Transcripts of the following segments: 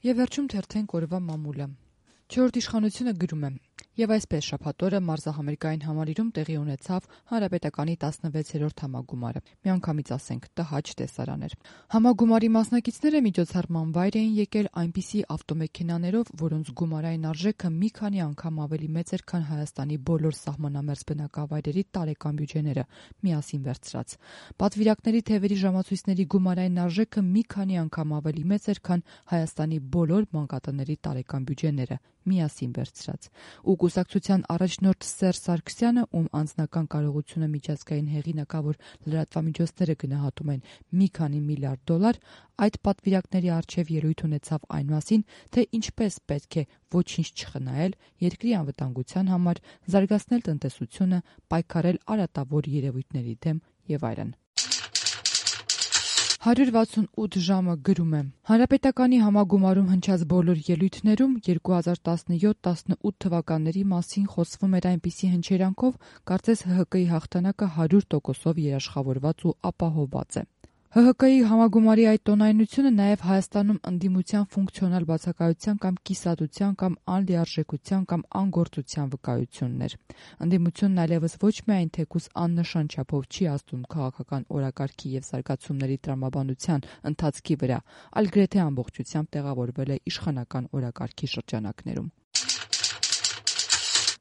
Եվ վերջում թերթենք օրվա մամուլը։ Չորրորդ իշխանությունը գրում է. Եվ այսպես շաբաթ օրը մարզահամերգային համալիրում տեղի ունեցավ Հանրապետականի 16-րդ համագումարը։ Միանգամից ասենք տհաճ տեսարան էր։ Համագումարի մասնակիցները միջոցառման վայր էին եկել այնպիսի ավտոմեքենաներով, որոնց գումարային արժեքը մի քանի անգամ ավելի մեծ էր, քան Հայաստանի բոլոր սահմանամերձ բնակավայրերի տարեկան բյուջեները միասին վերցրած։ Պատվիրակների թևերի ժամացույցների գումարային արժեքը մի քանի անգամ ավելի մեծ էր, քան Հայաստանի բոլոր մանկատների տարեկան բյուջեները միասին վերցրած։ Ու կուսակցության առաջնորդ Սերժ Սարգսյանը, ում անձնական կարողությունը միջազգային հեղինակավոր լրատվամիջոցները գնահատում են մի քանի միլիարդ դոլար, այդ պատվիրակների առջև ելույթ ունեցավ այն մասին, թե ինչպես պետք է ոչինչ չխնայել երկրի անվտանգության համար, զարգացնել տնտեսությունը, պայքարել արատավոր երևույթների դեմ եւ այլն։ 168 ժամը գրում է. Հանրապետականի համագումարում հնչած բոլոր ելույթներում 2017-18 թվականների մասին խոսվում էր այնպիսի հնչերանգով, կարծես ՀՀԿ-ի հաղթանակը 100%-ով երաշխավորված ու ապահովված է։ ՀՀԿ-ի համագումարի այդ տոնայնությունը նաև Հայաստանում ընդդիմության ֆունկցիոնալ բացակայության կամ կիսատության կամ անլիարժեքության կամ անգործության վկայությունն էր։ Ընդդիմությունն այլևս ոչ միայն թեկուզ աննշան չափով չի ազդում քաղաքական օրակարգի եւ զարգացումների տրամաբանության ընթացքի վրա, այլ գրեթե ամբողջությամբ տեղավորվել է իշխանական օրակարգի շրջանակներում։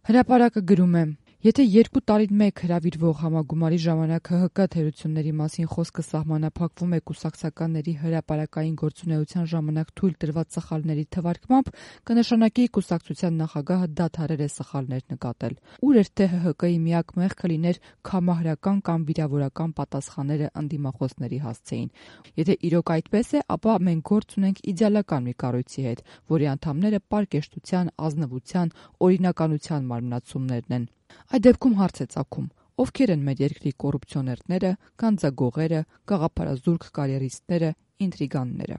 Հրապարակը գրում է. Եթե 2 տարին մեկ հրավիրվող համագումարի ժամանակ ՀՀԿ թերությունների մասին խոսքը սահմանափակվում է կուսակցականների հրապարակային գործունեության ժամանակ թույլ տրված սխալների թվարկմամբ, կնշանակի կուսակցության նախագահը դադարել է սխալներ նկատել։ Ուր էր թե ՀՀԿ-ի միակ մեղքը լիներ կամահրական կամ վիրավորական պատասխանները ընդդիմախոսների հասցեին։ Եթե իրոք այդպես է, ապա մենք գործ ունենք իդեալական մի կառույցի հետ, որի անդամները պարկեշտության, ազնվության, օրինականության մարմնացումներն են։ Այդ դեպքում հարց է ծագում. ովքեր են մեր երկրի կոռուպցիոներները, գանձագողերը, գաղափարազուրկ կարիերիստները, ինտրիգանները։